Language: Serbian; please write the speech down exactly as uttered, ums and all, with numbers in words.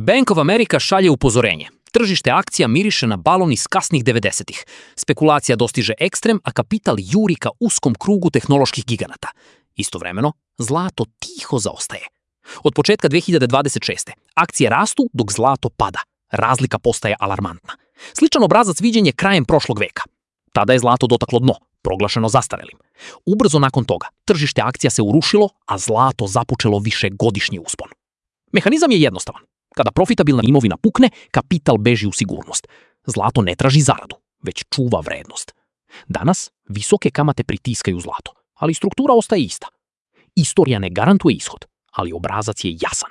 Bank of America šalje upozorenje. Tržište akcija miriše na balon iz kasnih devedesetih. Spekulacija dostiže ekstrem, a kapital juri ka uskom krugu tehnoloških giganata. Istovremeno, zlato tiho zaostaje. Od početka dve hiljade dvadeset šeste. akcije rastu dok zlato pada. Razlika postaje alarmantna. Sličan obrazac viđen je krajem prošlog veka. Tada je zlato dotaklo dno, proglašeno zastarelim. Ubrzo nakon toga, tržište akcija se urušilo, a zlato započelo višegodišnji uspon. Mehanizam je jednostavan. Kada profitabilna imovina pukne, kapital beži u sigurnost. Zlato ne traži zaradu, već čuva vrednost. Danas visoke kamate pritiskaju zlato, ali struktura ostaje ista. Istorija ne garantuje ishod, ali obrazac je jasan.